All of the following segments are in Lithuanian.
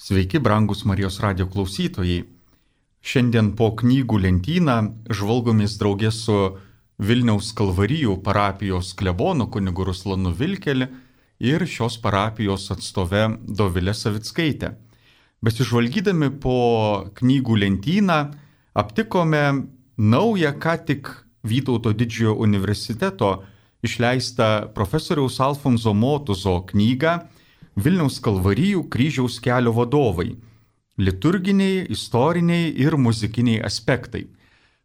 Sveiki, brangus Marijos radijo klausytojai. Šiandien po knygų lentyną žvalgomis draugė su Vilniaus Kalvarijų parapijos klebonu kunigu Ruslanu Vilkeliu ir šios parapijos atstove Dovilė Savickaitė. Besižvalgydami po knygų lentyną aptikome naują ką tik Vytauto didžiojo universiteto išleistą profesoriaus Alfonso Motuzo knygą Vilniaus Kalvarijų kryžiaus kelio vadovai – liturginiai, istoriniai ir muzikiniai aspektai.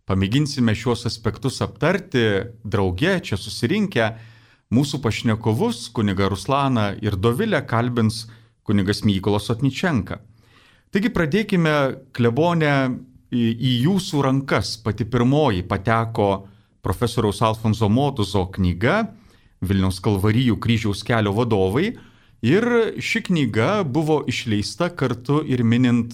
Pamėginsime šiuos aspektus aptarti drauge, čia susirinkę. Mūsų pašnekovus, kunigą Ruslaną ir Dovilę, kalbins kunigas Mykolas Otničenka. Taigi pradėkime, klebone, į jūsų rankas. Pati pirmoji pateko profesoriaus Alfonso Motuzo knyga Vilniaus Kalvarijų kryžiaus kelio vadovai. Ir ši knyga buvo išleista kartu ir minint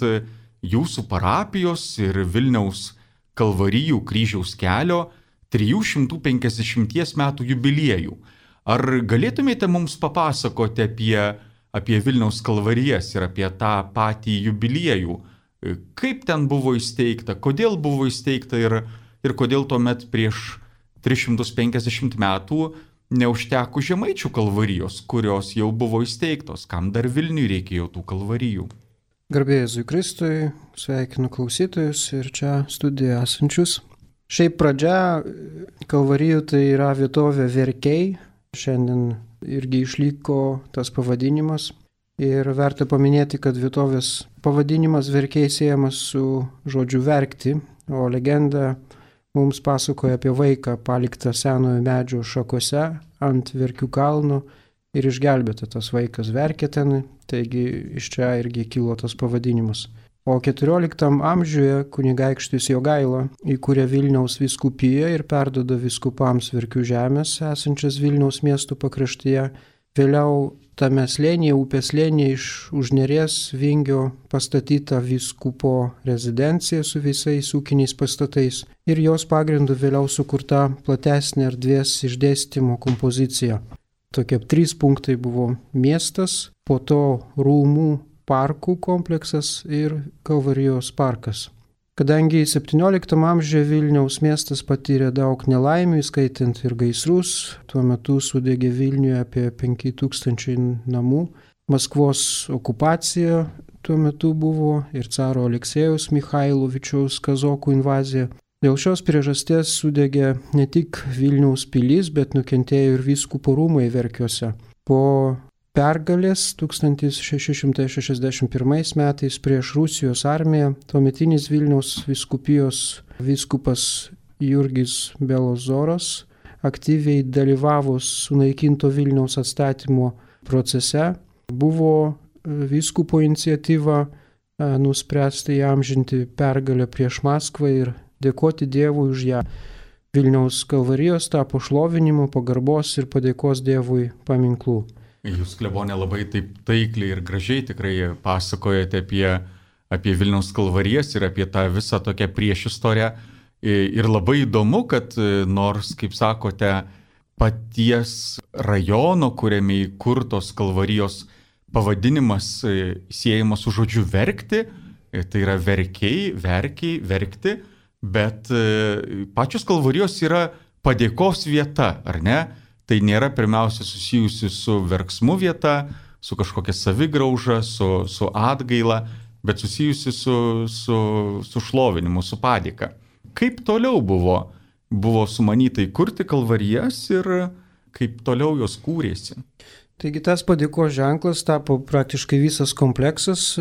jūsų parapijos ir Vilniaus Kalvarijų kryžiaus kelio 350 metų jubiliejų. Ar galėtumėte mums papasakoti apie Vilniaus Kalvarijas ir apie tą patį jubiliejų? Kaip ten buvo įsteigta, kodėl buvo įsteigta ir kodėl tuomet prieš 350 metų neužteko Žemaičių Kalvarijos, kurios jau buvo įsteigtos, kam dar Vilniui reikėjo tų kalvarijų. Garbė Jėzui Kristui, sveikinu klausytojus ir čia studijoje esančius. Šiaip pradžia Kalvarijų tai yra vietovė Verkiai, šiandien irgi išliko tas pavadinimas. Ir verta paminėti, kad vietovės pavadinimas Verkiai siejamas su žodžiu verkti, o legenda mums pasakoja apie vaiką paliktą senojo medžio šakose ant Verkių kalno ir išgelbėta tas vaikas verkė ten, taigi iš čia irgi kilo tas pavadinimas. O 14 amžiuje kunigaikštis Jogaila įkūrė Vilniaus vyskupiją ir perduoda vyskupams Verkių žemės esančias Vilniaus miestų pakraštyje. Vėliau tame slėnyje, upės slėnyje iš už Neries Vingio pastatyta vyskupo rezidencija su visais ūkiniais pastatais ir jos pagrindu vėliau sukurta platesnė erdvės išdėstymo kompozicija. Tokie 3 punktai buvo miestas, po to rūmų parkų kompleksas ir Kalvarijos parkas. Kadangi 17 amžiuje Vilniaus miestas patyrė daug nelaimių, įskaitant ir gaisrus, tuo metu sudegė Vilniuje apie 5000 namų. Maskvos okupacija tuo metu buvo ir caro Aleksėjaus Michailovičiaus kazokų invazija. Dėl šios priežasties sudegė ne tik Vilniaus pilis, bet nukentėjo ir vyskupo rūmai Verkiuose. Po pergalės 1661 metais prieš Rusijos armiją tuometinis Vilniaus vyskupijos vyskupas Jurgis Belozoras aktyviai dalyvavo sunaikinto Vilniaus atstatymo procese. Buvo vyskupo iniciatyva nuspręsta įamžinti pergalę prieš Maskvą ir dėkoti Dievui už ją. Vilniaus Kalvarijos tapo šlovinimo, pagarbos ir padėkos Dievui paminklų. Jūs, klebonė, labai taip taikliai ir gražiai tikrai pasakojate apie Vilniaus Kalvarijas ir apie tą visą tokią priešistorę. Ir labai įdomu, kad nors, kaip sakote, paties rajono, kuriame įkurtos Kalvarijos pavadinimas siejamas su žodžiu verkti, tai yra verkiai, verkti, bet pačios Kalvarijos yra padėkos vieta, ar ne? Tai nėra pirmiausia susijusi su verksmu vieta, su kažkokia savigrauža, su atgaila, bet susijusi su šlovinimu, su padėka. Kaip toliau buvo sumanyta įkurti Kalvarijas ir kaip toliau jos kūrėsi? Taigi tas padėkos ženklas tapo praktiškai visas kompleksas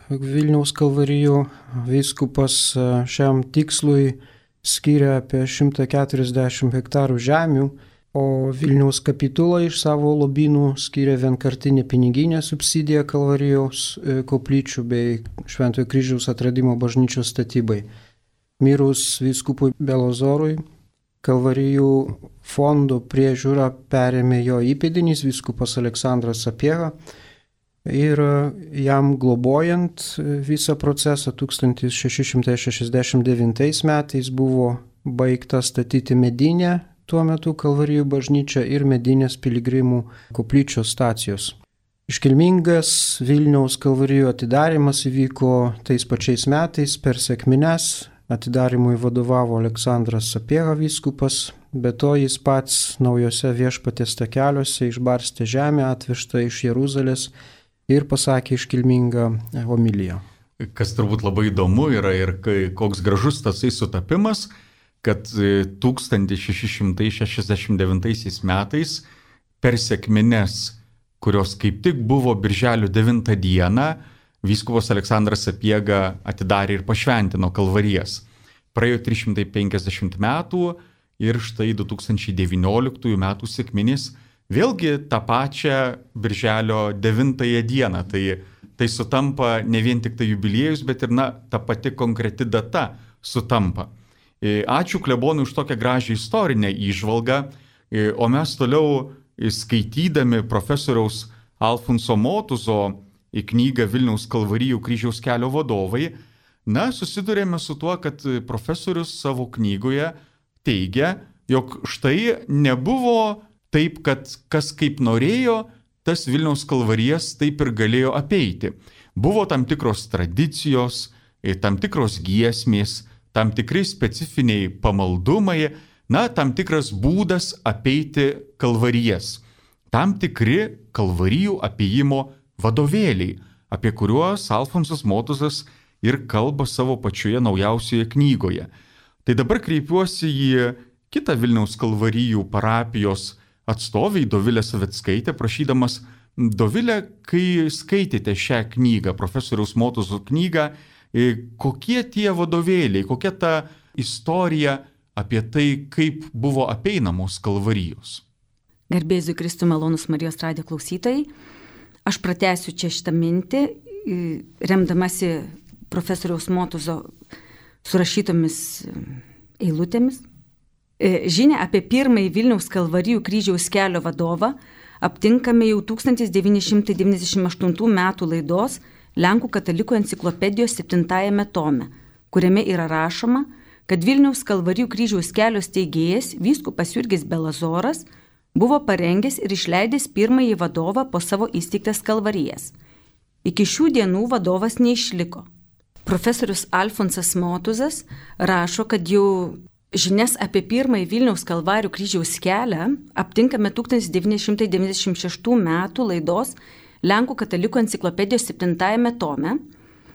Vilniaus Kalvarijų. Vyskupas šiam tikslui skiria apie 140 hektarų žemių, o Vilniaus kapitula iš savo lobynų skiria vienkartinę piniginę subsidiją Kalvarijos koplyčių bei Šventojo Kryžiaus atradimo bažnyčios statybai. Mirus vyskupui Belozorui, Kalvarijų fondo priežiūrą perėmė jo įpėdinis vyskupas Aleksandras Sapiega ir jam globojant visą procesą 1669 metais buvo baigta statyti medinę tuo metu Kalvarijų bažnyčia ir medinės piligrimų koplyčios stacijos. Iškilmingas Vilniaus kalvarijų atidarimas įvyko tais pačiais metais per sekmines. Atidarimui vadovavo Aleksandras Sapiega vyskupas, be to jis pats naujose viešpaties takeliuose išbarstė žemę atvežtą iš Jeruzalės ir pasakė iškilmingą homiliją. Kas turbūt labai įdomu yra ir koks gražus tasai sutapimas, kad 1669 metais per sekmines, kurios kaip tik buvo birželio 9 dieną, vyskupas Aleksandras Sapiega atidarė ir pašventino kalvarijas. Praėjo 350 metų ir štai 2019 metų sekminės vėlgi tą pačią birželio 9 dieną. Tai sutampa ne vien tik tai jubiliejus, bet ir ta pati konkreti data sutampa. Ačiū klebonui už tokią gražią istorinę įžvalgą, o mes toliau skaitydami profesoriaus Alfonso Motuzo į knygą Vilniaus kalvarijų kryžiaus kelio vadovai, susidurėme su tuo, kad profesorius savo knygoje teigia, jog štai nebuvo taip, kad kas kaip norėjo, tas Vilniaus kalvarijas taip ir galėjo apeiti. Buvo tam tikros tradicijos, tam tikros giesmės, tam tikri specifiniai pamaldumai, tam tikras būdas apeiti kalvarijas. Tam tikri kalvarijų apėjimo vadovėliai, apie kuriuos Alfonsas Motuzas ir kalba savo pačioje naujausioje knygoje. Tai dabar kreipiuosi į kitą Vilniaus kalvarijų parapijos atstovę, Dovilę Savickaitę, prašydamas: Dovilė, kai skaitėte šią knygą, profesoriaus Motuzo knygą, kokie tie vadovėliai, kokia ta istorija apie tai, kaip buvo apeinamos kalvarijos? Garbėsiu Kristui, malonus Marijos radijo klausytojai. Aš pratęsiu čia šitą mintį, remdamasi profesoriaus Motuzo surašytomis eilutėmis. Žinia apie pirmąjį Vilniaus kalvarijų kryžiaus kelio vadovą aptinkame jau 1998 metų laidos Lenkų katalikų enciklopedijos 7 tome, kuriame yra rašoma, kad Vilniaus kalvarijų kryžiaus kelio steigėjas vyskupas Jurgis Belazoras buvo parengęs ir išleidęs pirmąjį vadovą po savo įsteigtas kalvarijas. Iki šių dienų vadovas neišliko. Profesorius Alfonsas Motuzas rašo, kad jau žinias apie pirmąjį Vilniaus kalvarijų kryžiaus kelią aptinkame 1996 metų laidos Lenkų katalikų enciklopedijos 7 tome.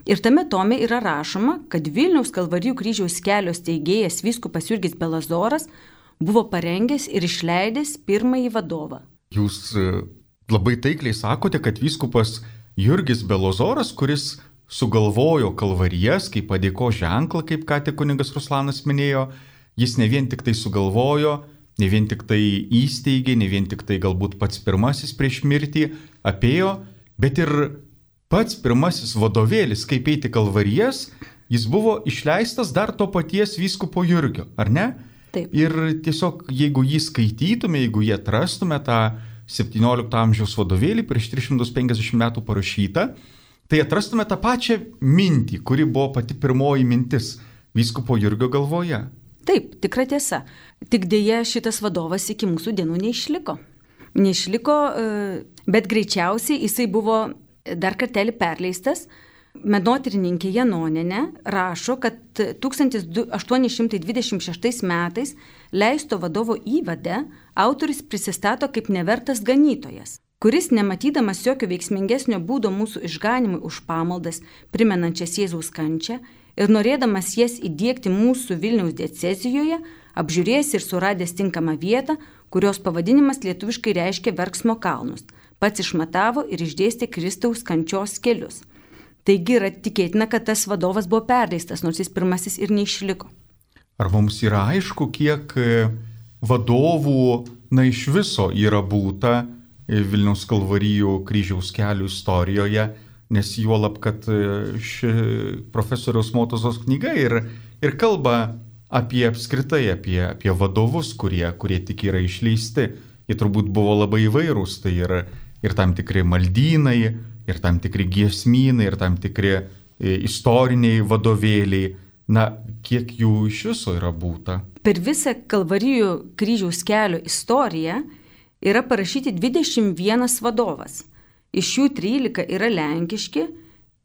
Ir tame tome yra rašoma, kad Vilniaus kalvarijų kryžiaus kelio steigėjas vyskupas Jurgis Belazoras buvo parengęs ir išleidęs pirmąjį vadovą. Jūs labai taikliai sakote, kad vyskupas Jurgis Belazoras, kuris sugalvojo kalvarijas kaip padėko ženklą, kaip ką tik kunigas Ruslanas minėjo, jis ne vien tik tai sugalvojo, ne vien tik tai įsteigė, ne vien tik tai galbūt pats pirmasis prieš mirtį apėjo, bet ir pats pirmasis vadovėlis, kaip eiti kalvarijas, jis buvo išleistas dar to paties vyskupo Jurgio, ar ne? Taip. Ir tiesiog, jeigu jį skaitytume, jeigu jį atrastume tą 17 amžiaus vadovėlį prieš 350 metų parašytą, tai atrastume tą pačią mintį, kuri buvo pati pirmoji mintis vyskupo Jurgio galvoje. Taip, tikra tiesa. Tik dėja šitas vadovas iki mūsų dienų neišliko. Bet greičiausiai jisai buvo dar kartelį perleistas. Menotyrininkė Janonienė rašo, kad 1826 metais leisto vadovo įvade autorius prisistato kaip nevertas ganytojas, kuris, nematydamas jokio veiksmingesnio būdo mūsų išganimui už pamaldas, primenančias Jėzaus kančią, ir norėdamas jas įdiegti mūsų Vilniaus diecezijoje, apžiūrėjęs ir suradęs tinkamą vietą, kurios pavadinimas lietuviškai reiškia Verksmo kalnus, pats išmatavo ir išdėstė Kristaus kančios kelius. Taigi yra tikėtina, kad tas vadovas buvo perleistas, nors jis pirmasis ir neišliko. Ar mums yra aišku, kiek vadovų iš viso yra būta Vilniaus kalvarijų kryžiaus kelių istorijoje, nes juolab, kad ši profesoriaus Motuzos knyga ir kalba apie apskritai, apie vadovus, kurie tik yra išleisti. Jie turbūt buvo labai įvairūs, tai ir tam tikri maldynai, ir tam tikri giesmynai, ir tam tikri istoriniai vadovėliai. Kiek jų iš viso yra būta? Per visą kalvarijų kryžiaus kelio istoriją yra parašyti 21 vadovas. iš jų 13 yra lenkiški,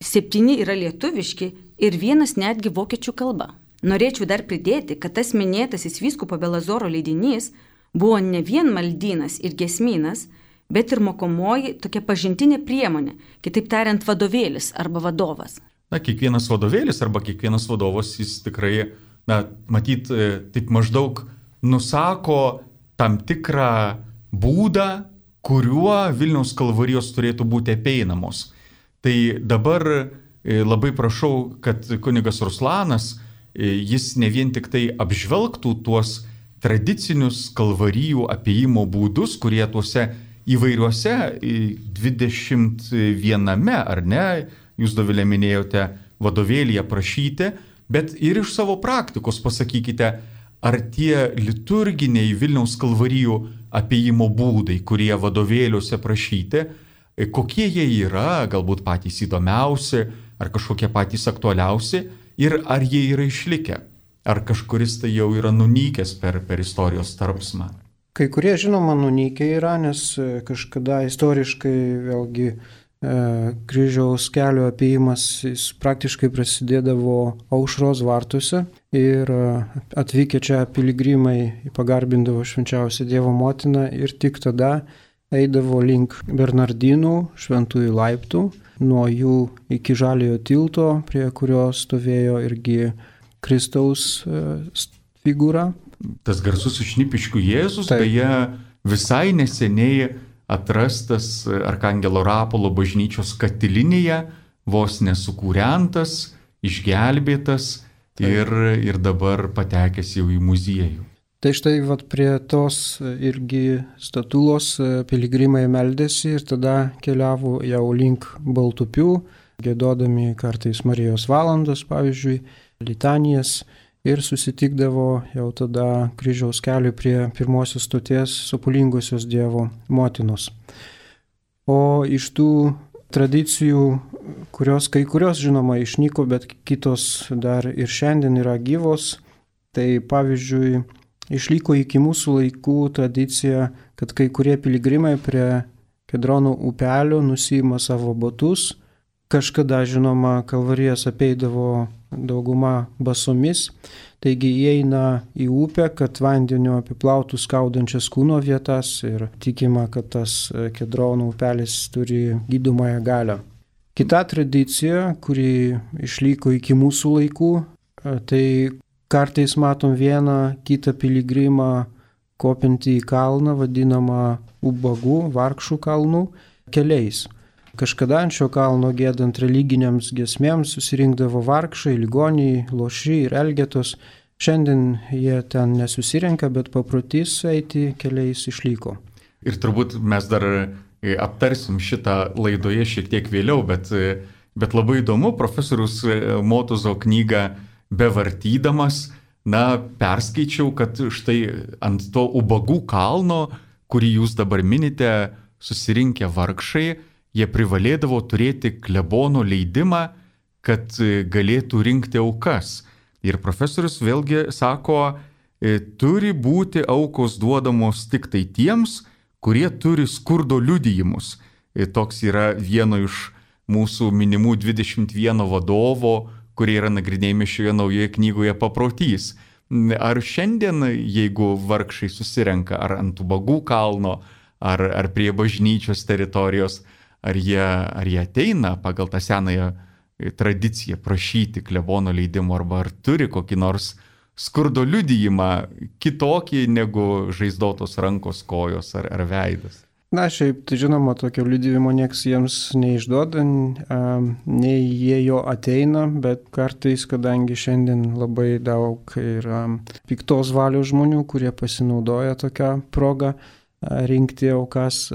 7 yra lietuviški ir 1 netgi vokiečių kalba. Norėčiau dar pridėti, kad tas minėtasis vyskupo Belazoro leidinys buvo ne vien maldynas ir giesmynas, bet ir mokomoji tokia pažintinė priemonė, kitaip tariant vadovėlis arba vadovas. Na, kiekvienas vadovėlis arba kiekvienas vadovas, jis tikrai, matyt, taip maždaug nusako tam tikrą būdą, kuriuo Vilniaus kalvarijos turėtų būti apeinamos. Tai dabar labai prašau, kad kunigas Ruslanas, jis ne vien tik tai apžvelgtų tuos tradicinius kalvarijų apėjimo būdus, kurie tuose įvairiuose 21, ar ne, jūs Dovilė minėjote, vadovėlyje prašyti, bet ir iš savo praktikos pasakykite, ar tie liturginiai Vilniaus kalvarijų apėjimo būdai, kurie vadovėliuose prašyti, kokie jie yra, galbūt patys įdomiausi, ar kažkokie patys aktualiausi, ir ar jie yra išlikę, ar kažkuris tai jau yra nunykęs per istorijos tarpsmą. Kai kurie, žinoma, nunykę yra, nes kažkada istoriškai vėlgi kryžiaus kelio apėjimas praktiškai prasidėdavo Aušros vartuose ir atvykę čia piligrimai pagarbindavo švenčiausią Dievo motiną ir tik tada eidavo link Bernardinų šventųjų laiptų, nuo jų iki Žaliojo tilto, prie kurio stovėjo irgi Kristaus figūra. Tas garsus Šnipiškių Jėzus, beje, visai neseniai atrastas Arkangelo Rapolo bažnyčios katilinėje, vos nesukūrentas, išgelbėtas ir dabar patekęs jau į muziejų. Tai štai prie tos irgi statulos piligrimai meldėsi ir tada keliavo jau link Baltupių, giedodami kartais Marijos valandas, pavyzdžiui, litanijas, ir susitikdavo jau tada kryžiaus keliui prie pirmosios stoties Sopulingosios Dievo motinos. O iš tų tradicijų, kai kurios žinoma išnyko, bet kitos dar ir šiandien yra gyvos, tai pavyzdžiui, išliko iki mūsų laikų tradicija, kad kai kurie piligrimai prie Kedrono upelio nusiima savo batus. Kažkada, žinoma, kalvarijas apeidavo dauguma basomis, taigi įeina į upę, kad vandeniu apiplautų skaudančias kūno vietas ir tikima, kad tas Kedrono upelis turi gydomąją galią. Kita tradicija, kuri išliko iki mūsų laikų, tai kartais matom vieną kitą piligrimą kopinti į kalną, vadinamą ubagų, vargšų kalnų, keliais. Kažkada ant šio kalno giedant religiniams giesmėms susirinkdavo vargšai, ligoniai, loši ir elgetos. Šiandien jie ten nesusirenka, bet paprotys eiti keliais išliko. Ir turbūt mes dar aptarsim šitą laidoje šiek tiek vėliau, bet labai įdomu, profesorius Motuzo knygą bevartydamas, perskaičiau, kad štai ant to ubagų kalno, kurį jūs dabar minite, susirinkę vargšai, jie privalėdavo turėti klebono leidimą, kad galėtų rinkti aukas. Ir profesorius vėlgi sako, turi būti aukos duodamos tik tai tiems, kurie turi skurdo liudijimus. Toks yra vieno iš mūsų minimų 21 vadovo, kurie yra nagrinėjami šioje naujoje knygoje paprotys. Ar šiandien, jeigu vargšai susirenka, ar ant ubagų kalno, ar prie bažnyčios teritorijos, ar jie ateina pagal tą senąją tradiciją prašyti klebono leidimo, arba ar turi kokį nors skurdo liudijimą kitokį negu žaizdotos rankos, kojos ar veidas? Na, šiaip, tai žinoma, tokio liudijimo nieks jiems neišduoda, nei jie jo ateina, bet kartais, kadangi šiandien labai daug yra piktos valios žmonių, kurie pasinaudoja tokią progą rinkti aukas,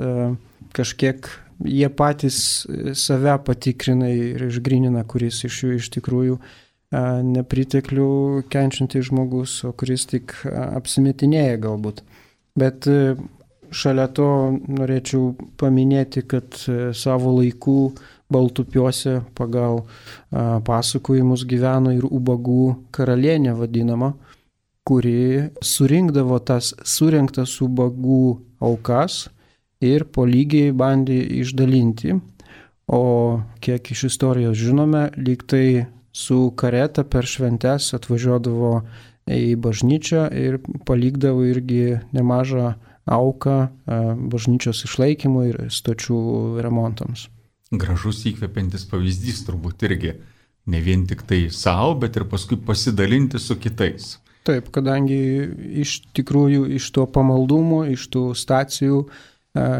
kažkiek jie patys save patikrina ir išgrynina, kuris iš jų iš tikrųjų nepriteklių kenčiantis žmogus, o kuris tik apsimetinėja galbūt. Bet šalia to norėčiau paminėti, kad savo laikų Baltupiuose pagal pasakojimus gyveno ir ubagų karalienė vadinama, kuri surinkdavo tas surinktas ubagų aukas ir po lygiai bandė išdalinti. O kiek iš istorijos žinome, lyg tai su kareta per šventes atvažiuodavo į bažnyčią ir palikdavo irgi nemažą auką bažnyčios išlaikymui ir stočių remontams. Gražus įkvepiantis pavyzdys turbūt irgi. Ne vien tik tai savo, bet ir paskui pasidalinti su kitais. Taip, kadangi iš tikrųjų iš to pamaldumo, iš tų stacijų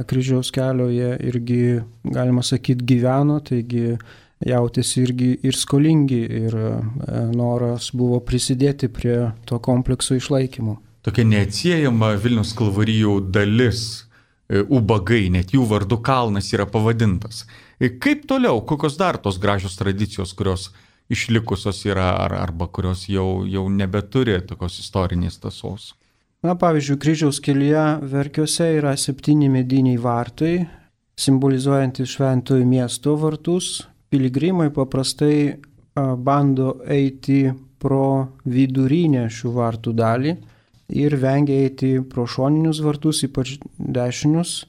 kryžiaus kelio jie irgi, galima sakyti, gyveno, taigi jautėsi irgi ir skolingi ir noras buvo prisidėti prie to komplekso išlaikymo. Tokia neatsiejama Vilniaus kalvarijų dalis, ubagai, net jų vardu kalnas yra pavadintas. Kaip toliau, kokios dar tos gražios tradicijos, kurios išlikusios yra arba kurios jau nebeturi tokios istorinės tąsos? Na, pavyzdžiui, kryžiaus kelyje Verkiuose yra 7 mediniai vartai, simbolizuojantys šventojo miesto vartus. Piligrimai paprastai bando eiti pro vidurinę šių vartų dalį ir vengia eiti pro šoninius vartus, ypač dešinius,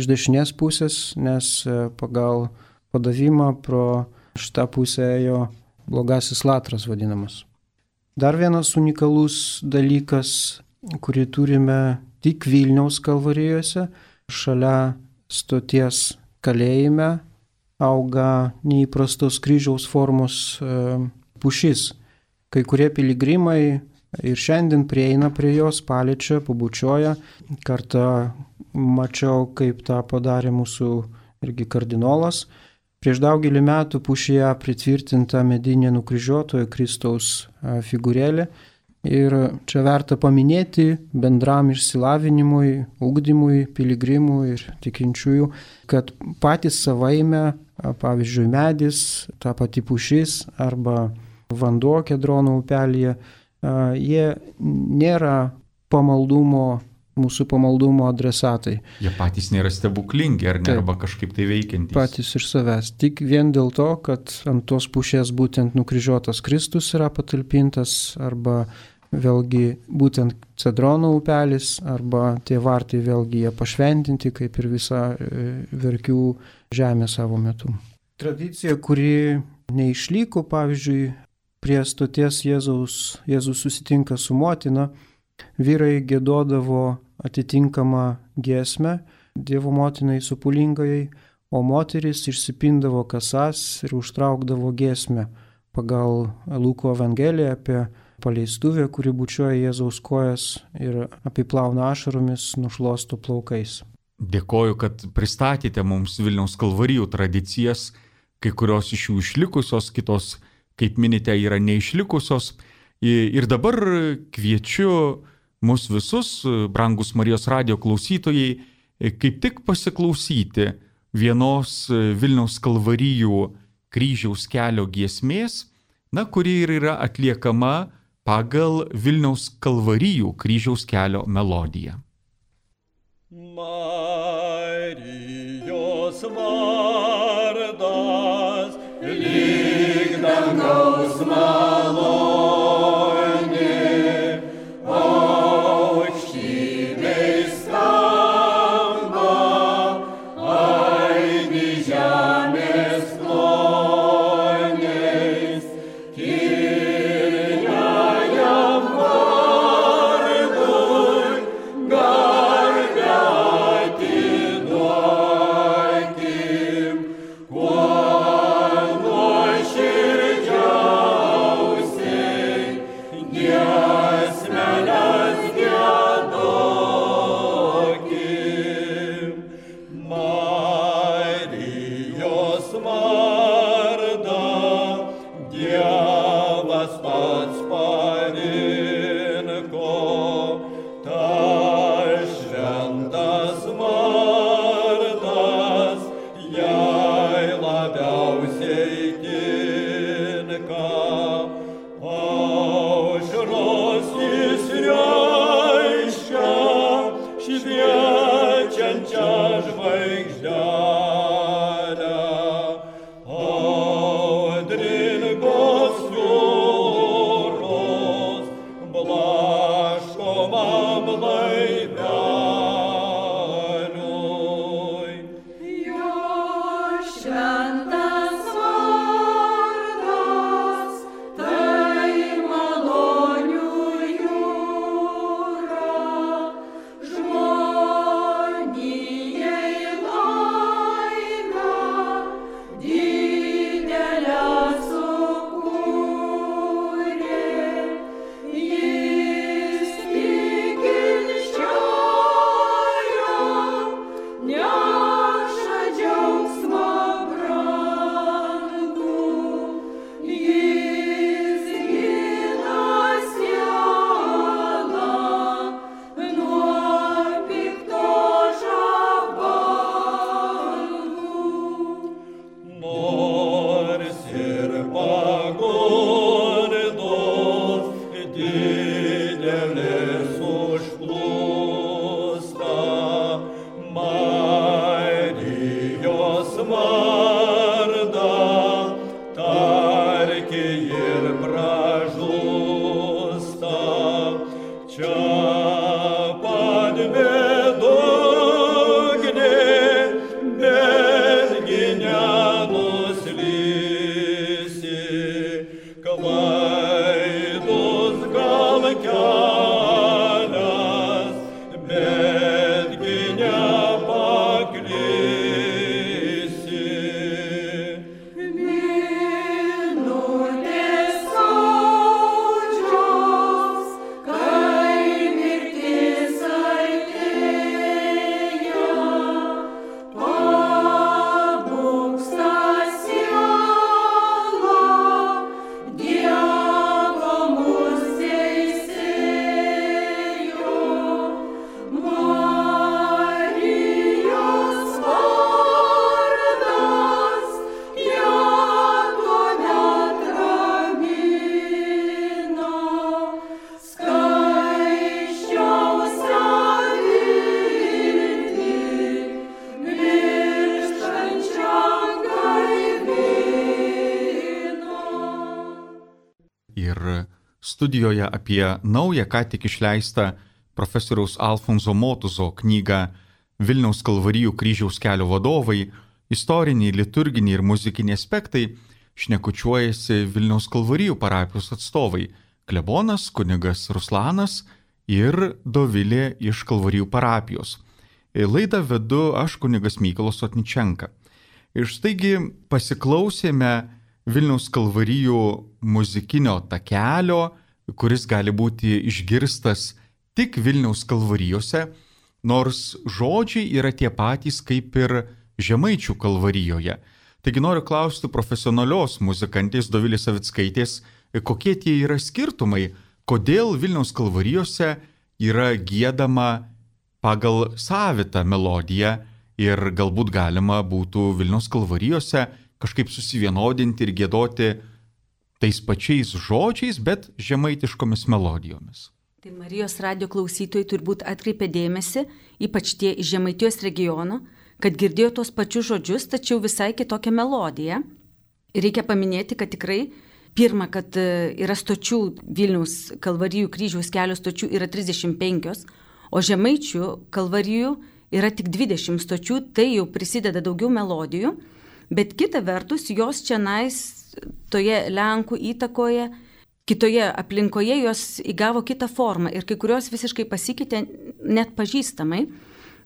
iš dešinės pusės, nes pagal padavimą pro šitą pusę ėjo blogasis latras vadinamas. Dar vienas unikalus dalykas, kurį turime tik Vilniaus kalvarijose, šalia stoties kalėjime auga neįprastos kryžiaus formos pušis. Kai kurie piligrimai ir šiandien prieina prie jos, paliečia, pabučioja. Kartą mačiau, kaip tą padarė mūsų irgi kardinolas. Prieš daugelį metų pušyje pritvirtinta medinė nukryžiuotojo Kristaus figūrėlė. Ir čia verta paminėti bendram išsilavinimui, ugdymui, piligrimų ir tikinčiųjų, kad patys savaime, pavyzdžiui, medis, ta pati pušis arba vanduo Kedrono upelyje, jie nėra mūsų pamaldumo adresatai. Jie patys nėra stebuklingi ar ne, arba kažkaip tai veikiantys. Patys iš savęs. Tik vien dėl to, kad ant tos pušies būtent nukryžiuotas Kristus yra patalpintas, arba vėlgi būtent Cedrono upelis, arba tie vartai vėlgi jie pašventinti, kaip ir visa Verkių žemė savo metu. Tradicija, kuri neišliko, pavyzdžiui, prie stoties Jėzus susitinka su motina, vyrai giedodavo atitinkamą giesmę Dievo motinai supulingajai, o moteris išsipindavo kasas ir užtraukdavo giesmę pagal Luko Evangeliją apie paleistuvę, kuri bučiuoja Jėzaus kojas ir apiplauna ašaromis, nušluosto plaukais. Dėkoju, kad pristatėte mums Vilniaus kalvarijų tradicijas, kai kurios iš jų išlikusios, kitos, kaip minite, yra neišlikusios. Ir dabar kviečiu mus visus, brangus Marijos radijo klausytojai, kaip tik pasiklausyti vienos Vilniaus kalvarijų kryžiaus kelio giesmės, kuri ir yra atliekama pagal Vilniaus kalvarijų kryžiaus kelio melodiją. Marijos vardas lyg dangaus malonė, aukštybėj skamba, aidi žemės kloniais, kilniajam vardui garbę atiduokim, kuo ir studijoje apie naują, ką tik išleistą profesoriaus Alfonso Motuzo knygą Vilniaus Kalvarijų kryžiaus kelio vadovai, istoriniai, liturginiai ir muzikiniai aspektai šnekučiuojasi Vilniaus Kalvarijų parapijos atstovai klebonas kunigas Ruslanas ir Dovilė iš Kalvarijų parapijos. Laidą vedu aš kunigas Mykolas Sotničenka. Ir štaigi pasiklausėme Vilniaus Kalvarijų muzikinio takelio, kuris gali būti išgirstas tik Vilniaus Kalvarijose, nors žodžiai yra tie patys kaip ir Žemaičių Kalvarijoje. Taigi noriu klausti profesionalios muzikantės Dovilės Savickaitės, kokie tie yra skirtumai, kodėl Vilniaus Kalvarijose yra giedama pagal savitą melodiją ir galbūt galima būtų Vilniaus Kalvarijose kažkaip susivienodinti ir giedoti tais pačiais žodžiais, bet žemaitiškomis melodijomis. Tai Marijos radijo klausytojai turbūt atkreipė dėmesį, ypač tie iš Žemaitijos regiono, kad girdėjo tos pačius žodžius, tačiau visai kitokią melodiją. Ir reikia paminėti, kad tikrai pirma, kad yra stočių Vilniaus Kalvarijų kryžiaus kelio stočių yra 35, o Žemaičių Kalvarijų yra tik 20 stočių, tai jau prisideda daugiau melodijų, bet kita vertus jos čionais toje Lenkų įtakoje, kitoje aplinkoje jos įgavo kitą formą ir kai kurios visiškai pasikeitė net pažįstamai.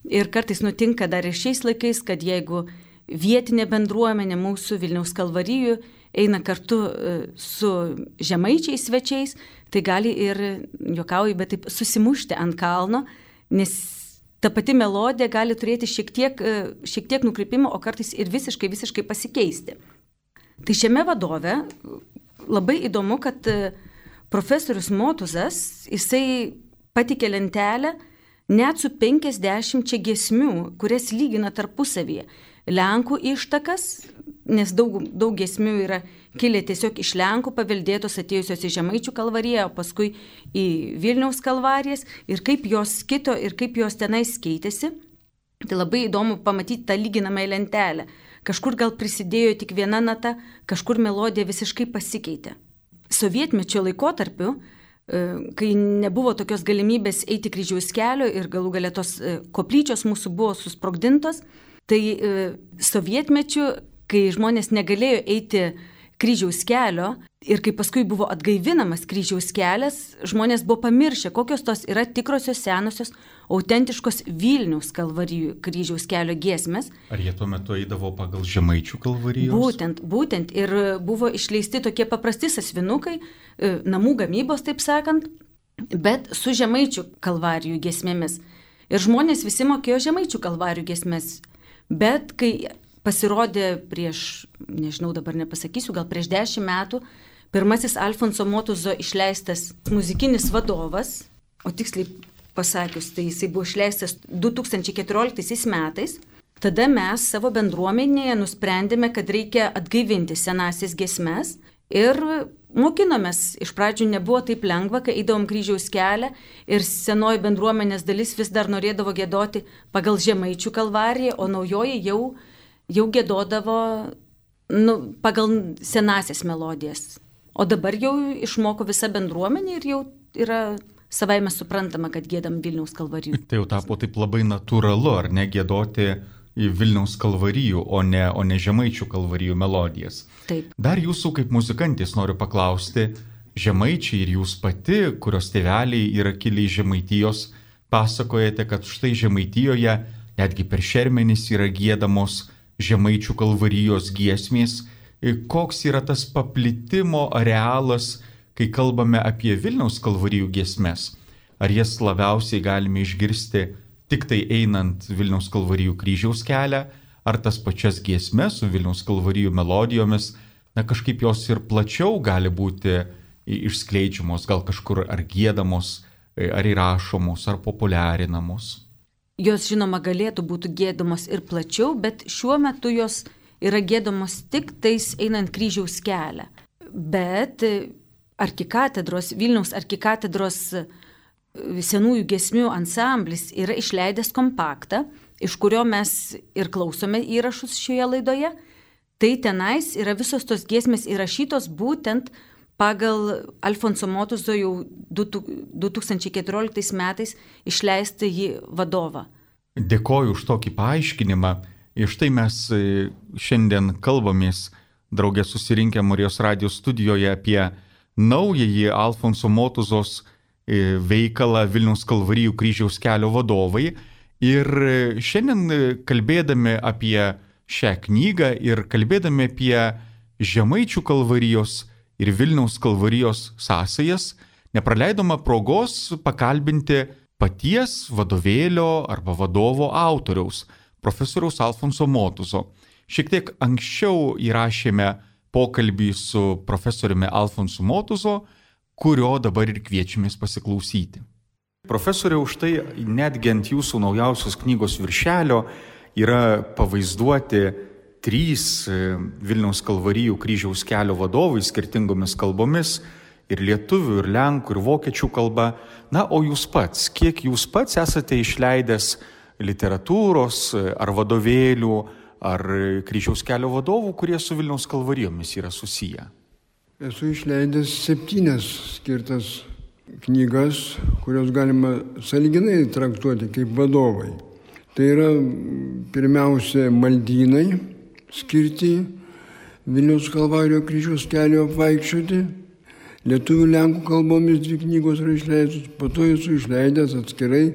Ir kartais nutinka dar ir šiais laikais, kad jeigu vietinė bendruomenė mūsų Vilniaus Kalvarijų eina kartu su žemaičiais svečiais, tai gali ir, juokauju, bet taip susimušti ant kalno, nes ta pati melodija gali turėti šiek tiek nukrypimo, o kartais ir visiškai pasikeisti. Tai šiame vadove labai įdomu, kad profesorius Motuzas, jisai patikė lentelę net su 50 giesmių, kurias lygina tarpusavyje. Lenkų ištakas, nes daug giesmių yra kilę tiesiog iš Lenkų paveldėtos atėjusios į Žemaičių Kalvariją, o paskui į Vilniaus Kalvarijas ir kaip jos kito ir kaip jos tenais keitėsi. Tai labai įdomu pamatyti tą lyginamąją lentelę. Kažkur gal prisidėjo tik viena nata, kažkur melodija visiškai pasikeitė. Sovietmečio laikotarpiu, kai nebuvo tokios galimybės eiti kryžiaus kelio ir galų gale tos koplyčios mūsų buvo susprogdintos, tai sovietmečiu, kai žmonės negalėjo eiti kryžiaus kelio ir kai paskui buvo atgaivinamas kryžiaus kelias, žmonės buvo pamiršę, kokios tos yra tikrosios senosios, autentiškos Vilniaus Kalvarijų kryžiaus kelio giesmės. Ar jie tuo metu eidavo pagal Žemaičių Kalvarijos? Būtent. Ir buvo išleisti tokie paprasti sąsvinukai, namų gamybos, taip sakant, bet su Žemaičių Kalvarijų giesmėmis. Ir žmonės visi mokėjo Žemaičių Kalvarijų giesmės. Bet kai pasirodė prieš, nežinau, dabar nepasakysiu, gal prieš 10 metų, pirmasis Alfonso Motuzo išleistas muzikinis vadovas, o tiksliai pasakius, tai jisai buvo išleistas 2014 metais, tada mes savo bendruomenėje nusprendėme, kad reikia atgaivinti senasias giesmes ir mokinomės. Iš pradžių nebuvo taip lengva, kai eidavom kryžiaus kelią ir senoji bendruomenės dalis vis dar norėdavo giedoti pagal Žemaičių Kalvariją, o naujoji jau giedodavo pagal senasias melodijas. O dabar jau išmoko visa bendruomenė ir jau yra savaime suprantama, kad giedam Vilniaus Kalvarijų. Tai jau tapo taip labai natūralu, ar ne, giedoti į Vilniaus Kalvarijų, o ne Žemaičių Kalvarijų melodijas. Taip. Dar jūsų kaip muzikantės noriu paklausti, žemaičiai ir jūs pati, kurios tėveliai yra kilę iš Žemaitijos, pasakojate, kad štai Žemaitijoje netgi per šermenis yra giedamos Žemaičių Kalvarijos giesmės. Koks yra tas paplitimo arealas, kai kalbame apie Vilniaus Kalvarijų giesmes? Ar jas labiausiai galime išgirsti tik tai einant Vilniaus Kalvarijų kryžiaus kelią, ar tas pačias giesmes su Vilniaus Kalvarijų melodijomis, kažkaip jos ir plačiau gali būti išskleidžiamos, gal kažkur ar giedamos, ar įrašomos, ar populiarinamos? Jos, žinoma, galėtų būti giedamos ir plačiau, bet šiuo metu jos yra giedamos tik tais einant kryžiaus kelią. Bet Vilniaus arkikatedros senųjų giesmių ansamblis yra išleidęs kompaktą, iš kurio mes ir klausome įrašus šioje laidoje. Tai tenais yra visos tos giesmės įrašytos būtent pagal Alfonso Motuzo jau 2014 metais išleistą jį vadovą. Dėkoju už tokį paaiškinimą. Ir štai mes šiandien kalbamės draugė susirinkę Marijos radijos studijoje apie naująjį Alfonso Motuzos veikalą Vilniaus Kalvarijų kryžiaus kelio vadovai. Ir šiandien kalbėdami apie šią knygą ir kalbėdami apie Žemaičių Kalvarijos ir Vilniaus Kalvarijos sąsajas, nepraleidoma progos pakalbinti paties vadovėlio arba vadovo autoriaus, profesoriaus Alfonso Motuzo. Šiek tiek anksčiau įrašėme pokalbį su profesoriumi Alfonsu Motuzo, kurio dabar ir kviečiamės pasiklausyti. Profesoriau, štai netgi ant jūsų naujausios knygos viršelio yra pavaizduoti 3 Vilniaus Kalvarijų kryžiaus kelio vadovai skirtingomis kalbomis, ir lietuvių, ir lenkų, ir vokiečių kalba. Na, o jūs pats, kiek jūs pats esate išleidęs literatūros ar vadovėlių, ar kryžiaus kelio vadovų, kurie su Vilniaus Kalvarijomis yra susiję? Esu išleidęs 7 skirtas knygas, kurios galima sąlyginai traktuoti kaip vadovai. Tai yra pirmiausia maldynai skirti Vilniaus Kalvarijų kryžiaus kelio apvaikščioti. Lietuvių lenkų kalbomis 2 knygos yra išleistos, po to esu išleidęs atskirai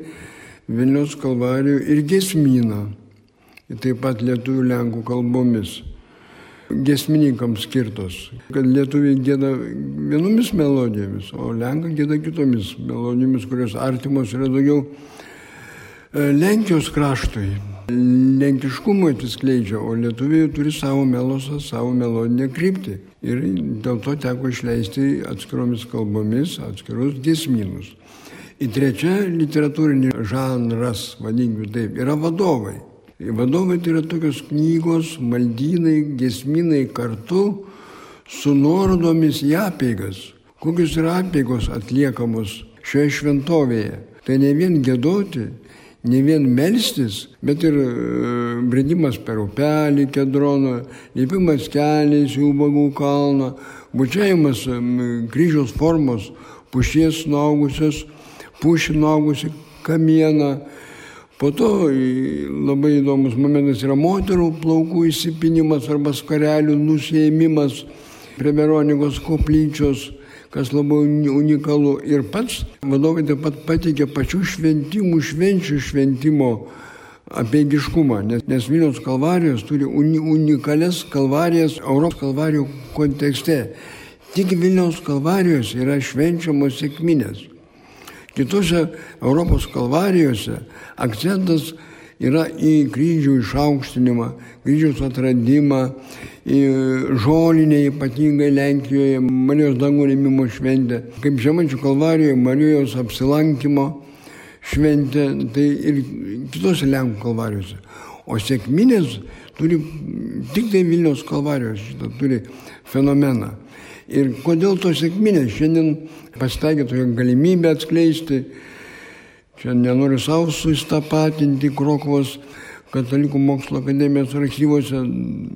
Vilniaus Kalvarijų ir giesmyną. Ir taip pat lietuvių lenkų kalbomis. Giesmininkams skirtos, kad lietuviai gieda vienomis melodijomis, o lenkai gieda kitomis melodijomis, kurios artimos yra daugiau Lenkijos kraštui. Lenkiškumo atsiskleidžia, o lietuviai turi savo melosą, savo melodinę kryptį. Ir dėl to teko išleisti atskiromis kalbomis, atskirus giesmynus. Ir trečia literatūrinė žanras, vadinkime taip, yra vadovai. Vadovai tai yra tokios knygos, maldynai, giesmynai kartu su nuorodomis į apeigas. Kokios yra apeigos atliekamos šioje šventovėje. Tai ne vien giedoti, ne vien melstis, bet ir bridimas per upelį Kedroną, lipimas keliais į Ubagų kalną, bučiavimas kryžiaus formos pušies nuaugusios, pušį nuaugusi kamieną. Po to labai įdomus momentas yra moterų plaukų įsipinimas arba skarelių nusiėmimas prie Veronikos koplyčios, kas labai unikalu. Ir pats vadovai taip pat pateikė pačių švenčių šventimo apeigiškumą, nes Vilniaus Kalvarijos turi unikalias kalvarijas Europos kalvarijų kontekste. Tik Vilniaus Kalvarijos yra švenčiamos sekminės. Kitose Europos kalvarijose akcentas yra į kryžių išaukštinimą, kryžiaus atradimą, į žolinę ypatingai Lenkijoje, Marijos dangų rėmimo šventę, kaip Žemaičių Kalvarijoje Marijos apsilankimo šventė, tai ir kitose Lenkų kalvarijose. O sekminės turi tik tai Vilniaus Kalvarijos, šitą turi fenomeną. Ir kodėl tos sekminės šiandien pasitaikė tokią galimybę atskleisti, čia nenoriu savo sustapatinti Krokuvos Katalikų mokslo akademijos archyvose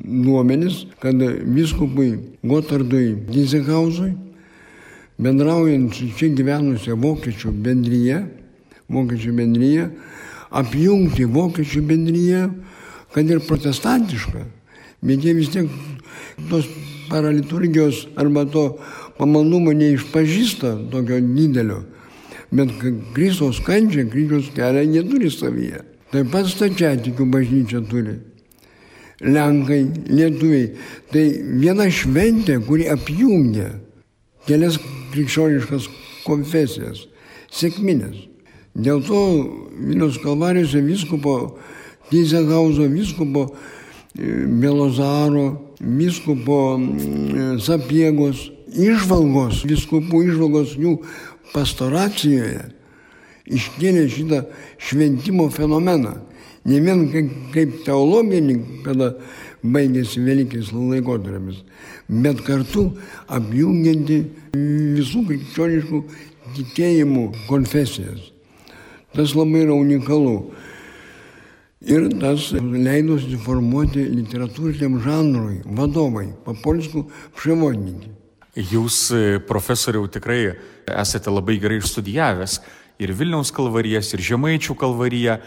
duomenis, kad vyskupui Gotardui Gizenhauzui, bendraujant su čia gyvenusią vokiečių bendryje, apjungti vokiečių bendryje, kad ir protestantišką, bet jie vis tiek tos paraliturgijos arba to pamaldumo neišpažįsta tokio didelio, bet Kristaus kančią, kryžiaus kelią neturi savyje. Taip pat stačiatikių bažnyčia turi. Lenkai, lietuviai. Tai viena šventė, kuri apjungia kelias krikščioniškas konfesijas, sekminės. Dėl to Vilniaus Kalvarijose vyskupo Gizenhauzo, vyskupo Belozaro, vyskupo Sapiegos įžvalgos, vyskupų įžvalgos jų pastoracijoje iškėlė šitą šventimo fenomeną. Ne vien kaip teologinį, kada baigėsi Velykės laikotarpis, bet kartu apjungianti visų krikščioniškų tikėjimų konfesijas. Tas labai yra unikalu. Ir tas leido susiformuoti literatūriniam žanrui vadovai, po polsku przewodniki. Jūs, profesoriau, tikrai esate labai gerai išstudijavęs ir Vilniaus kalvarijas, ir Žemaičių kalvariją.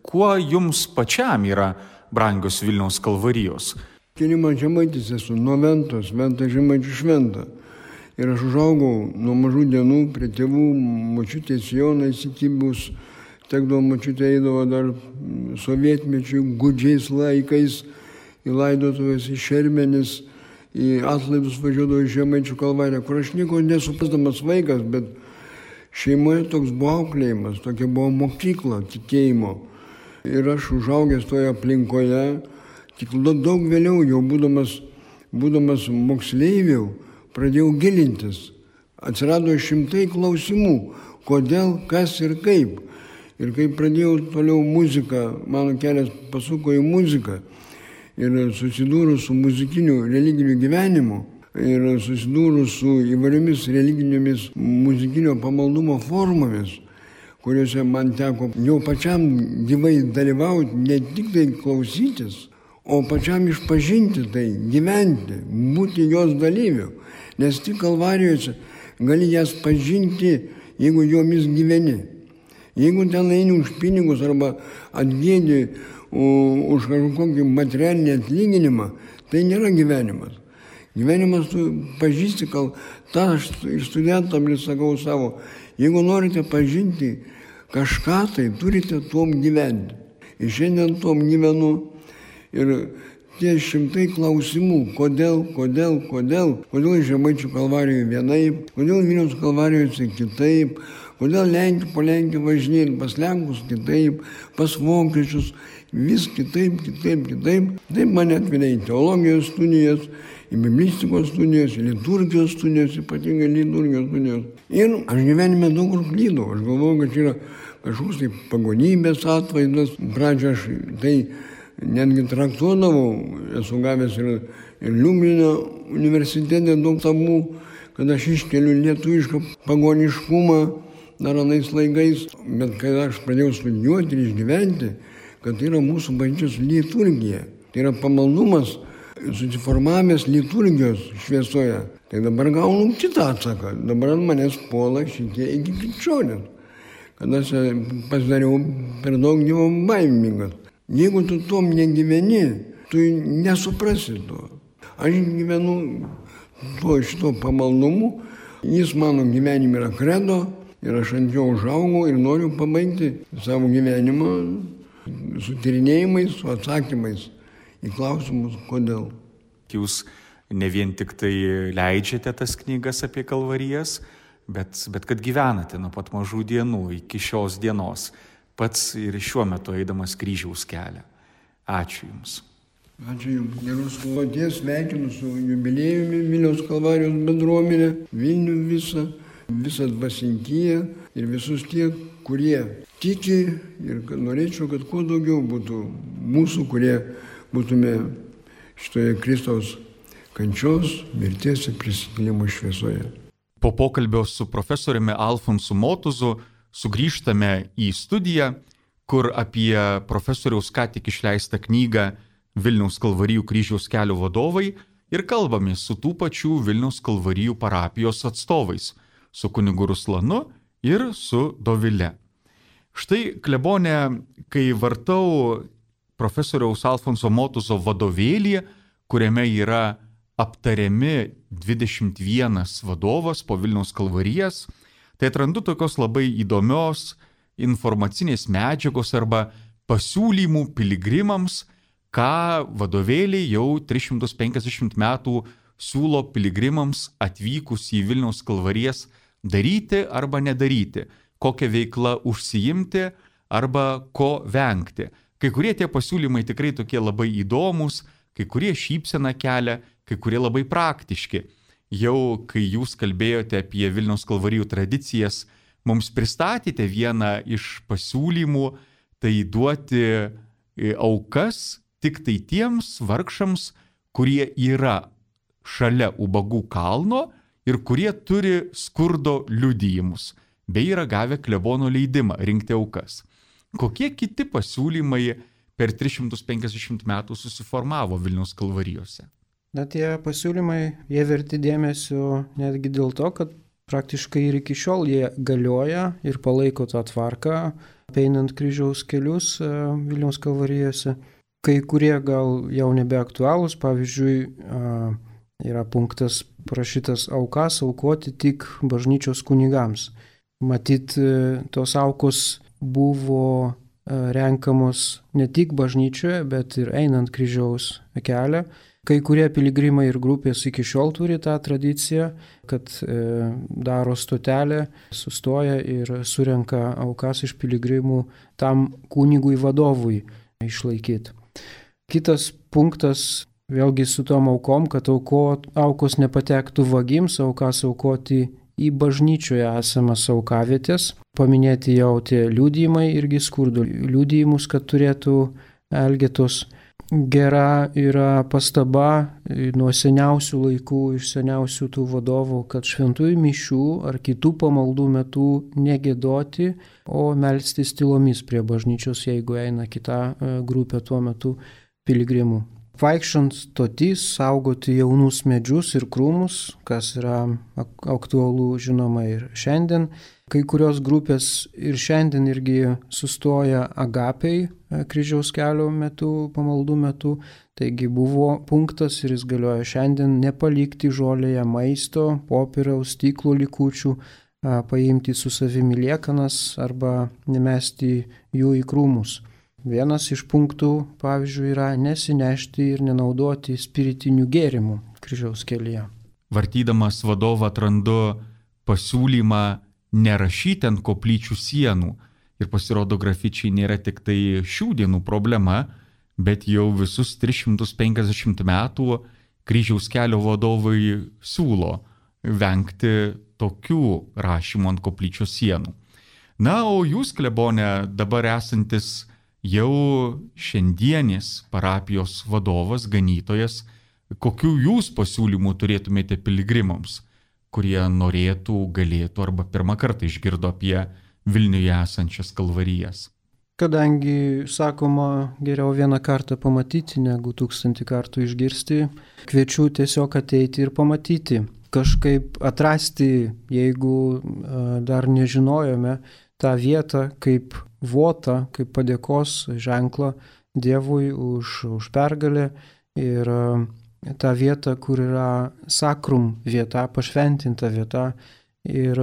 Kuo jums pačiam yra brangios Vilniaus kalvarijos? Man Žemaitis esu nuo Ventos, Venta Žemaičių šventa. Ir aš užaugau nuo mažų dienų prie tėvų, močiutės Joną įsikibus, tekdavo močiutė eidavo dar sovietmečių gudžiais laikais į laidotuvės, į Šermenis, į atlaidus važiuodavo į Žemaičių kalvariją, kur aš nieko nesuprasdamas vaikas, bet šeimoje toks buvo auklėjimas, tokia buvo mokykla tikėjimo. Ir aš užaugęs toje aplinkoje, tik daug vėliau, jau būdamas moksleiviu, pradėjau gilintis. Atsirado šimtai klausimų, kodėl, kas ir kaip. Ir kai pradėjau toliau muziką, mano kelias pasuko į muziką. Ir susidūrus su muzikiniu religiniu gyvenimu, ir susidūrus su įvairiomis religinėmis muzikinio pamaldumo formomis, kuriuose man teko jau pačiam gyvai dalyvauti, ne tik tai klausytis, o pačiam išpažinti tai, gyventi, būti jos dalyviu. Nes tik kalvarijose gali jas pažinti, jeigu jomis gyveni. Jeigu ten eini už pinigus arba atgėdi už kažkokį materialinį atlyginimą, tai nėra gyvenimas. Gyvenimas tu pažįsti, tą aš ir studentam sakau savo, jeigu norite pažinti kažką, tai turite tuom gyventi. Ir šiandien tuom gyvenu ir tie šimtai klausimų, kodėl Žemaičių kalvarijoje vienaip, kodėl Vilniaus kalvarijose kitaip, kodėl po Lenkiją važinėjant pas Lenkus kitaip, pas vokiečius, vis kitaip. Taip mane atvedė į teologijos studijas, į biblistikos studijas, į liturgijos studijas, ypatingai liturgijos studijas. Ir aš gyvenime daug kur klydau. Aš galvoju, kad čia yra kažkoks tai pagonybės atvaizdas. Pradžią aš tai netgi traktuodavau, esu gavęs ir Liublino universitete daug tabų, kad aš iškeliu lietuvišką pagoniškumą dar anais laikais. Bet kai aš pradėjau studijuoti ir išgyventi, kad tai yra mūsų bažnyčios liturgija, tai yra pamaldumas susiformavęs liturgijos šviesoje. Tai dabar gaunu kitą atsaką. Dabar ant manęs puola šitie iki krikščionės, kad aš pasidariau per daug dievo baimingas. Jeigu tu tom negyveni, tu nesuprasi to. Aš gyvenu šito pamaldumu, jis mano gyvenime yra kredo ir aš ant jo užaugau ir noriu pabaigti savo gyvenimą su tyrinėjimais, su atsakymais į klausimus, kodėl. Jūs ne vien tik tai leidžiate tas knygas apie kalvarijas, bet kad gyvenate nuo pat mažų dienų iki šios dienos, pats ir šiuo metu eidamas kryžiaus kelią. Ačiū Jums. Ačiū Jums. Geros kloties, sveikinu su jubiliejumi Vilniaus kalvarijos bendruomenė, Vilnių visą dvasinkiją ir visus tie, kurie tiki ir kad norėčiau, kad kuo daugiau būtų mūsų, kurie būtume šitoje Kristaus kančios, mirties ir prisikėlimo šviesoje. Po pokalbio su profesoriumi Alfonsu Motuzu sugrįžtame į studiją, kur apie profesoriaus ką tik išleistą knygą Vilniaus kalvarijų kryžiaus kelio vadovai ir kalbamės su tų pačių Vilniaus kalvarijų parapijos atstovais, su kunigu Ruslanu ir su Dovile. Štai, klebone, kai vartau profesoriaus Alfonso Motuzo vadovėlį, kuriame yra aptariami 21 vadovas po Vilniaus kalvarijas, tai atrandu tokios labai įdomios informacinės medžiagos arba pasiūlymų piligrimams, ką vadovėliai jau 350 metų siūlo piligrimams atvykus į Vilniaus kalvarijas daryti arba nedaryti, kokią veiklą užsiimti arba ko vengti. Kai kurie tie pasiūlymai tikrai tokie labai įdomus, kai kurie šypseną kelia, kai kurie labai praktiški. Jau kai jūs kalbėjote apie Vilniaus kalvarijų tradicijas, mums pristatėte vieną iš pasiūlymų, tai duoti aukas tik tai tiems vargšams, kurie yra šalia Ubagų kalno ir kurie turi skurdo liudijimus, bei yra gavę klebono leidimą rinkti aukas. Kokie kiti pasiūlymai per 350 metų susiformavo Vilniaus kalvarijose? Na, tie pasiūlymai, jie verti dėmesio netgi dėl to, kad praktiškai ir iki šiol jie galioja ir palaiko tą tvarką, einant kryžiaus kelius Vilniaus kalvarijose. Kai kurie gal jau nebeaktualūs, pavyzdžiui, yra punktas parašytas aukas aukoti tik bažnyčios kunigams. Matyt, tos aukos buvo renkamos ne tik bažnyčioje, bet ir einant kryžiaus kelią. Kai kurie piligrimai ir grupės iki šiol turi tą tradiciją, kad daro stotelę, sustoja ir surenka aukas iš piligrimų tam kunigui vadovui išlaikyti. Kitas punktas, vėlgi su tom aukom, kad aukos nepatektų vagims, aukas aukoti į bažnyčioje esamas aukavietės. Paminėti jau tie liudijimai irgi skurdo liudijimus, kad turėtų elgetos. Gera yra pastaba nuo seniausių laikų, iš seniausių tų vadovų, kad šventųjų mišių ar kitų pamaldų metu negėdoti, o melstis tylomis prie bažnyčios, jeigu eina kita grupė tuo metu piligrimų. Vaikščiant stotys, saugoti jaunus medžius ir krūmus, kas yra aktualu žinoma ir šiandien. Kai kurios grupės ir šiandien irgi sustoja agapiai kryžiaus kelio metu, pamaldų metu. Taigi buvo punktas ir jis galioja šiandien nepalikti žolėje maisto, popieriaus, stiklo likučių, paimti su savimi liekanas arba nemesti jų į krūmus. Vienas iš punktų, pavyzdžiui, yra nesinešti ir nenaudoti spiritinių gėrimų kryžiaus kelyje. Vartydamas vadovą atrandu pasiūlymą nerašyti ant koplyčių sienų. Ir pasirodo, grafičiai nėra tik tai šių dienų problema, bet jau visus 350 metų kryžiaus kelio vadovai siūlo vengti tokių rašymų ant koplyčios sienų. Na, o jūs, klebone, dabar esantis jau šiandienis parapijos vadovas, ganytojas, kokių jūs pasiūlymų turėtumėte piligrimams, kurie norėtų, galėtų arba pirmą kartą išgirdo apie Vilniuje esančias kalvarijas? Kadangi, sakoma, geriau vieną kartą pamatyti, negu 1000 kartų išgirsti, kviečiu tiesiog ateiti ir pamatyti. Kažkaip atrasti, jeigu dar nežinojome, tą vietą kaip votą, kaip padėkos ženklą Dievui už pergalę ir tą vietą, kur yra sakrum vieta, pašventinta vieta. Ir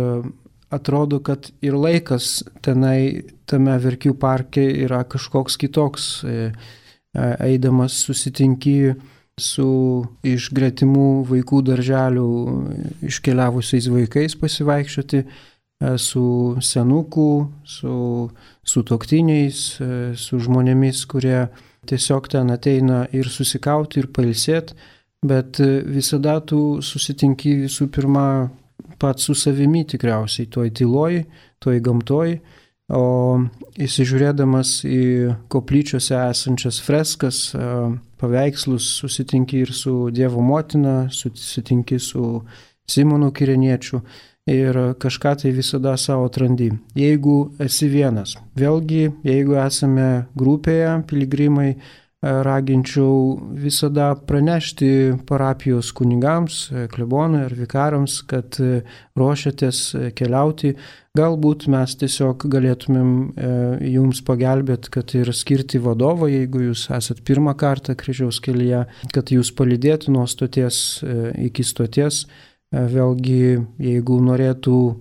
atrodo, kad ir laikas tenai, tame Verkių parke yra kažkoks kitoks. Eidamas susitinki su iš gretimų vaikų darželių iškeliavusiais vaikais pasivaikščioti, su senukų, su sutuoktiniais, su žmonėmis, kurie tiesiog ten ateina ir susikauti, ir pailsėti, bet visada tu susitinki visų pirma pats su savimi tikriausiai, toj tyloj, toj gamtoj, o įsižiūrėdamas į koplyčiose esančias freskas, paveikslus, susitinki ir su Dievo motina, susitinki su Simonu Kireniečiu ir kažką tai visada savo atrandi. Jeigu esi vienas, vėlgi, jeigu esame grupėje, piligrimai, raginčiau visada pranešti parapijos kunigams, klebonui ar vikarams, kad ruošiatės keliauti. Galbūt mes tiesiog galėtumėm jums pagelbėti, kad ir skirti vadovą, jeigu jūs esat pirmą kartą kryžiaus kelyje, kad jūs palydėtų nuo stoties iki stoties. Vėlgi, jeigu norėtų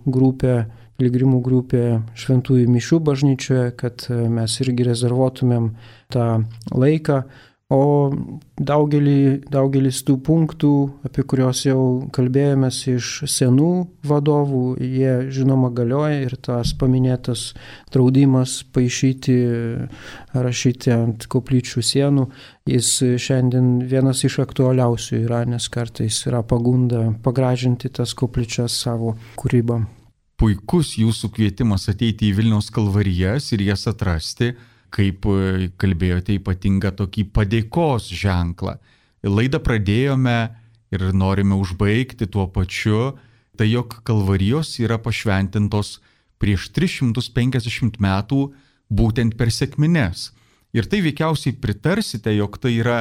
piligrimų grupė šventųjų mišių bažnyčioje, kad mes irgi rezervuotumėm tą laiką, o daugelis tų punktų, apie kuriuos jau kalbėjomės iš senų vadovų, jie žinoma galioja ir tas paminėtas draudimas rašyti ant koplyčių sienų, jis šiandien vienas iš aktualiausių yra, nes kartais yra pagunda pagražinti tas koplyčias savo kūrybą. Puikus jūsų kvietimas ateiti į Vilniaus kalvarijas ir jas atrasti, kaip kalbėjote, ypatingą tokį padėkos ženklą. Laidą pradėjome ir norime užbaigti tuo pačiu, tai jog kalvarijos yra pašventintos prieš 350 metų būtent per sekmines. Ir tai veikiausiai pritarsite, jog tai yra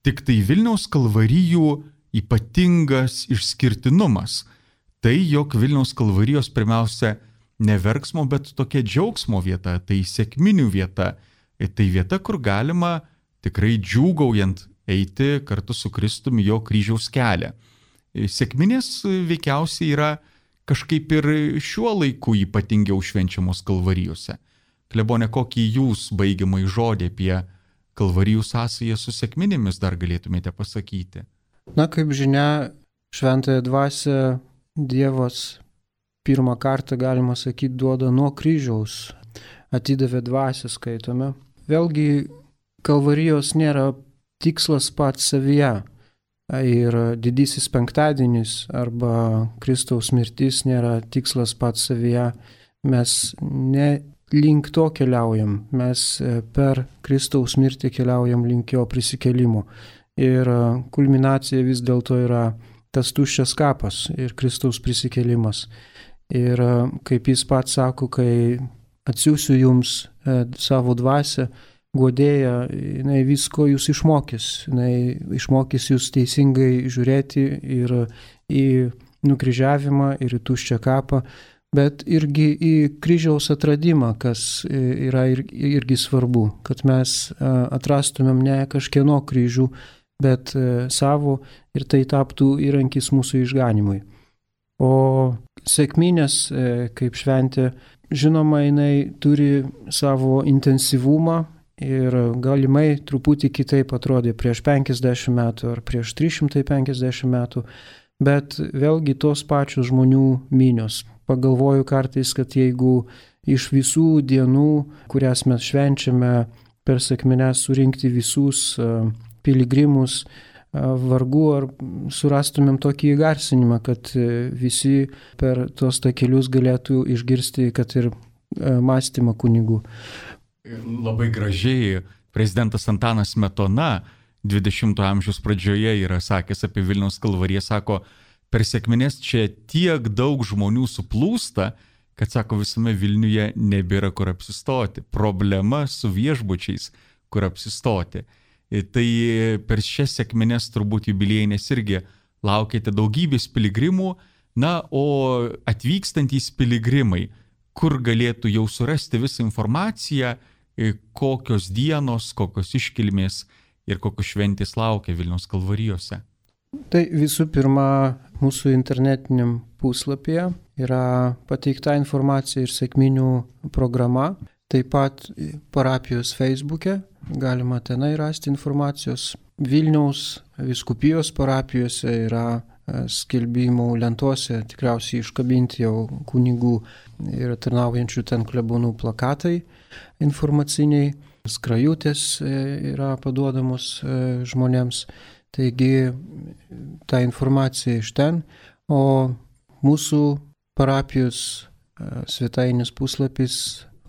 Tik tai Vilniaus kalvarijų ypatingas išskirtinumas. Tai, jog Vilniaus kalvarijos pirmiausia ne verksmo, bet tokia džiaugsmo vieta, tai sekminių vieta. Tai vieta, kur galima tikrai džiūgaujant eiti kartu su Kristumi jo kryžiaus kelią. Sekminės veikiausiai yra kažkaip ir šiuo laiku ypatingiau švenčiamos kalvarijose. Klebone, kokį jūs baigiamąjį žodį apie kalvarijų sąsają su sekminėmis dar galėtumėte pasakyti? Na, kaip žinia, šventąją dvasią Dievas pirmą kartą, galima sakyti, duoda nuo kryžiaus, atidavė dvasią, skaitome. Vėlgi, kalvarijos nėra tikslas pats savyje. Ir didysis penktadienis arba Kristaus mirtis nėra tikslas pats savyje. Mes ne link to keliaujam, mes per Kristaus mirtį keliaujam link jo prisikėlimo. Ir kulminacija vis dėlto yra tas tuščias kapas ir Kristaus prisikėlimas. Ir kaip jis pats sako, kai atsiųsiu jums savo dvasią, guodėja, jinai visko jūs išmokys. Jinai išmokys jūs teisingai žiūrėti ir į nukryžiavimą, ir į tuščią kapą, bet irgi į kryžiaus atradimą, kas yra irgi svarbu, kad mes atrastumėm ne kažkieno kryžių, bet savo ir tai taptų įrankis mūsų išganimui. O sekminės, kaip šventė, žinoma, jinai turi savo intensyvumą ir galimai truputį kitaip atrodė prieš 50 metų ar prieš 350 metų, bet vėlgi tos pačios žmonių minios. Pagalvoju kartais, kad jeigu iš visų dienų, kurias mes švenčiame per sekmines, surinkti visus piligrimus, vargu ar surastumėm tokį įgarsinimą, kad visi per tos takelius galėtų išgirsti, kad ir mąstymą kunigų. Labai gražiai prezidentas Antanas Smetona 20-ojo amžiaus pradžioje yra sakęs apie Vilniaus kalvariją, sako, per sekmines čia tiek daug žmonių suplūsta, kad, sako, visame Vilniuje nebėra kur apsistoti. Problema su viešbučiais, kur apsistoti. Tai per šias sekmines turbūt jubiliejinės irgi laukite daugybės piligrimų, na, o atvykstantys piligrimai, kur galėtų jau surasti visą informaciją, kokios dienos, kokios iškilmės ir kokios šventės laukia Vilniaus kalvarijose. Tai visų pirma, mūsų internetiniam puslapyje yra pateikta informacija ir sekminių programa, taip pat parapijos Facebook'e, galima tenai rasti informacijos. Vilniaus vyskupijos parapijose yra skelbimų lentose tikriausiai iškabinti jau kunigų ir tarnaujančių ten klebonų plakatai informaciniai, skrajutės yra paduodamos žmonėms. Taigi ta informacija iš ten, o mūsų parapijos svetainės puslapis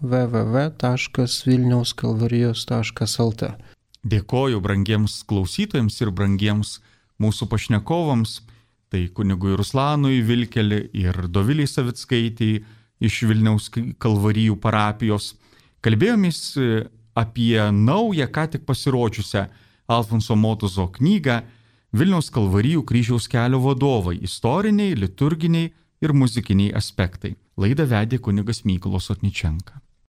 www.vilniauskalvarijos.lt. Dėkoju brangiems klausytojams ir brangiems mūsų pašnekovams, tai kunigui Ruslanui Vilkelį ir Doviliai Savickaitei iš Vilniaus kalvarijų parapijos. Kalbėjomės apie naują, ką tik pasirodžiusią Alfonso Motuzo knygą Vilniaus kalvarijų kryžiaus kelio vadovai – istoriniai, liturginiai ir muzikiniai aspektai. Laidą vedė kunigas Mykolas Otničenka.